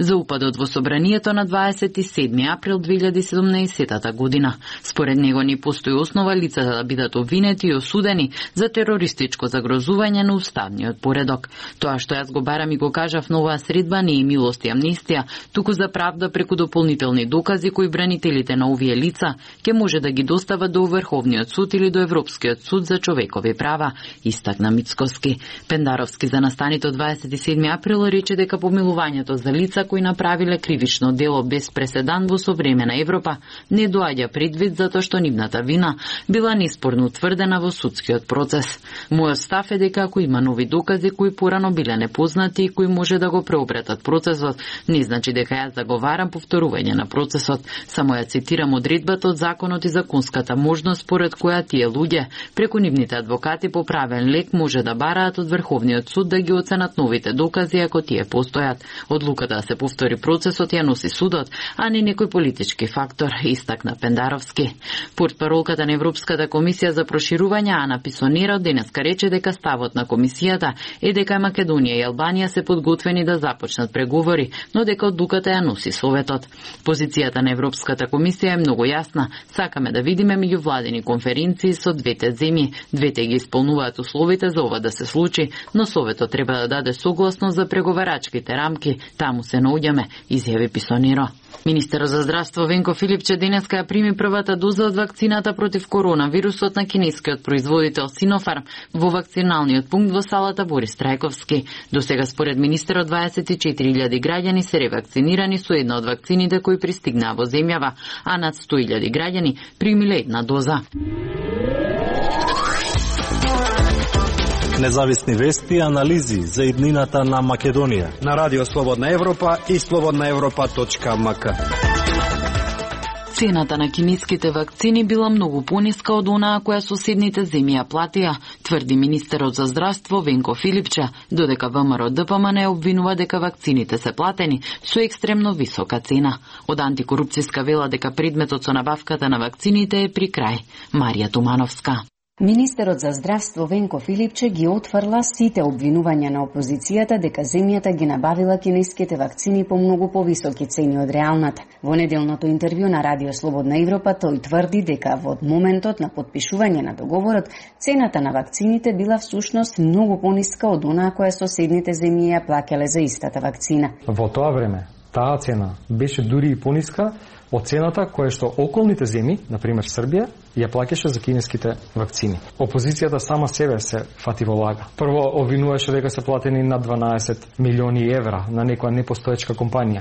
за упадот во собранието на 27 април 2017 година. Според него не постои основа лицата да бидат обвинети и осудени за терористичко загрозување на уставниот поредок. Тоа што јас го барам и го кажав на оваа средба не е милост и амнистија, туку за правда преку дополнителни докази кои бранителите на овие лица ќе може да ги достава до Врховниот суд или до Европскиот суд за човекови права, истакна Мицкоски. Пендаровски за настанито 27 април рече дека помилувањето за лица кои направиле кривично дело без преседан во современа Европа не доаѓа предвид затоа што нивната вина била неспорно утврдена во судскиот процес. Мојот став е дека ако има нови докази кои порано биле непознати и кои може да го преобретат процесот, не значи дека јас заговарам повторување на процесот. Само ја цитирам одредбата од законот и законската можност според која тие луѓе преку нивните адвокати по правен лек може да бараат од Врховниот суд да ги оценат новите докази ако тие постојат. Одлуката да се повтори процесот ја носи судот, а не некој политички фактор, истакна Пендаровски. Портпаролката на Европската комисија за проширување Ана Писонера денеска рече дека ставот на комисијата е дека Македонија и Албанија се подготвени да започнат преговори, но дека одлуката ја носи Советот. Позицијата на Европската комисија е многу јасна. Сакаме да видиме меѓувладени конференции со двете земји. Двете ги исполнуваат условите за ова да се случи, но Советот треба да даде согласност за преговарачките рамки. Таму се наоѓаме, изјави Писонеро. Министерот за здравство Венко Филипче денеска ја прими првата доза од вакцината против коронавирусот на кинескиот производител Синофарм во вакциналниот пункт во салата Борис Трајковски. До сега според министерот 24.000 граѓани се ревакцинирани со една од вакцините кои пристигнаа во земјава, а над 100.000 граѓани примиле една доза. Независни вести и анализи за иднината на Македонија на Радио Слободна Европа и slobodnaevropa.mk. Цената на кинеските вакцини била многу пониска од онаа која соседните земји ја платија, тврди министерот за здравство Венко Филипче, додека ВМРО ДПМН обвинува дека вакцините се платени со екстремно висока цена. Од антикорупцијска вела дека предметот со набавката на вакцините е при крај. Марија Тумановска. Министерот за здравство Венко Филипче ги отфрла сите обвинувања на опозицијата дека земјата ги набавила кинеските вакцини по многу повисоки цени од реалната. Во неделното интервју на Радио Слободна Европа тој тврди дека во моментот на подпишување на договорот цената на вакцините била всушност многу пониска од онаа која соседните земји ја плаќале за истата вакцина. Во тоа време таа цена беше дури и пониска од цената која што околните земји, например Србија, ја плаќаше за кинеските вакцини. Опозицијата сама себе се фати во лага. Прво обвинуваше дека се платени над 12 милиони евра на некоја непостоечка компанија.